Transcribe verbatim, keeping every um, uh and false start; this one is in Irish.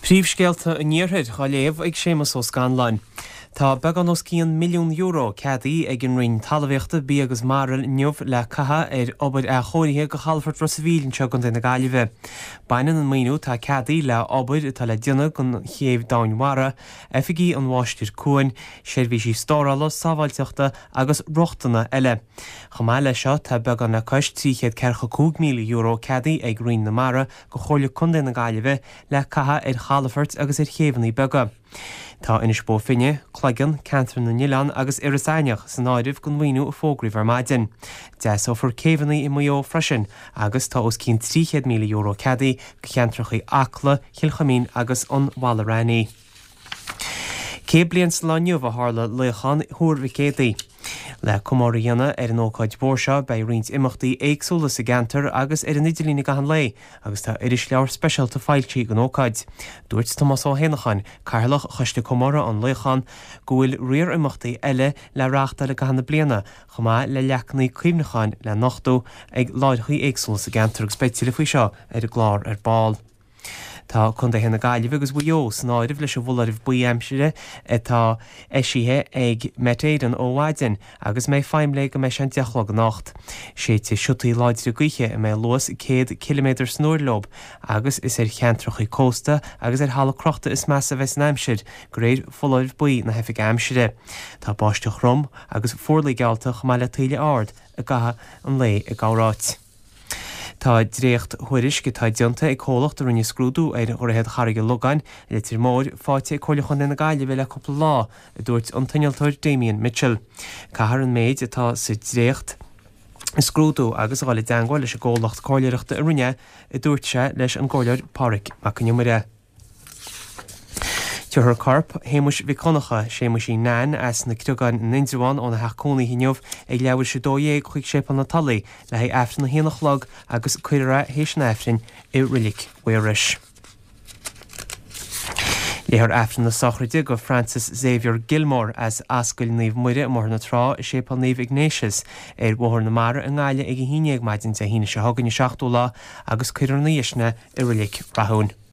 Príomhscéalta an Iarthair á léamh ag Séamus Ó Scanláin. Tá beagán os cionn milliún euro ceadaithe ag an Roinn Talmhaíochta, Bia agus Mara inniu le caitheamh ar obair athchóirithe go chalafort Ros an Mhíl anseo i gContae na Gaillimhe. Baineann an maoiniú atá ceadaithe le obair atá le déanamh don chéibh domhainmhara, oifigí an mháistir cuain, seirbhísí stórála, sábháilteachta agus rochtana eile. Chomh maith leis seo tá beagán le cois trí chéad ceathracha cúig míle euro ceadaithe ag Roinn na Mara go Chomhairle Contae na Gaillimhe le caitheamh ar chalafoirt agus ar chéibheanna beaga. Tá Inis Bó Finne, Cloigeann, Ceantar na nOileán agus Iorras Aithneach san áireamh don mhaoiniú a fógraíodh ar maidin. Deasófar céibheanna i Maigh Eo freisin agus tá os cionn trí chéad míle euro ceadaithe do cheantracha Acla, Chill Chuimín agus an Mhalaidh Raithní. Céad bliain sa lá inniu a tharla luíochán Thuar Mhic Éadaigh. Le comóradh a dhéanamh ar an ócáid mhór seo beidh roinnt imeachtaí éagsúla sa gceantar agus ar an idirlíon i gcaitheamh an lae agus tá irisleabhar speisialta foilsithe don ócáid. Dúirt Tomás Ó hÉanacháin, Cathaoirleach Choiste Comórtha an Luíocháin, go bhfuil riar imeachtaí eile le reáchtáil i gcaitheamh na bliana chomh maith le leacanna cuimhneacháin le nochtadh ag láithreacha éagsúla sa gceantar agus beidh tuilleadh faoi seo ar an gclár ar ball. Tá contaetha na Gaillimhe agus Mhaigh Eo san áireamh leis an bhfoláireamh buí aimsire atá eisithe ag Met Éireann ó mhaidin agus mbeidh feidhm léi go mbeidh sé an deich a chlog anocht. Séidfidh siotaí láidre gaoithe a mbeidh luas céad ciliméadar san uair leo agus is ar cheantracha cósta agus ar thalamh crochta is measa a bheas an aimsir, de réir foláireamh buí na hOifige Aimsire. Tá báisteach throm agus fuarlaigh geallta chomh maith le taoille ard i gcaitheamh an lae i gcorráit. Tá dréacht-thuairisc atá déanta ag comhlacht a rinne scrúdú ar Dhroichead Charraig an Logáin, Leitir Móir, faighte ag Comhairle Chontae na Gaillimhe le cúpla lá, a dúirt an t-innealtóir Damien Mitchell. Caithfear an méid atá sa dréacht a scrúdú agus a dhul i dteangmháil leis an gcomhlacht comhairleoireachta a rinne é, a dúirt sé leis an gComhairleoir Pádraig Mac Con Iomaire. Tabharfar corp Shéamuis Mhic Dhonncha, Séamuisín Nan, as na Criogáin in Indreabhán óna theach cónaithe inniu ag leathuair tar éis a dó dhéag chuig Séipéal na Tulaí le haghaidh Aifreann a haon a chlog agus cuirfear é théis an Aifrinn i Roilic Mhaorais. Léifear Aifreann na sochraide do Francis Xavier Gilmore as Ascaill Naomh Muire i mBóthar na Trá i Séipéal Naomh Ignatius ar Bhóthar na Mara i nGaillimh ag a haon déag maidin Dé hAoine seo chugainn an seachtú lá agus cuirfear ina dhiaidh sin é i Roilic Rathúin.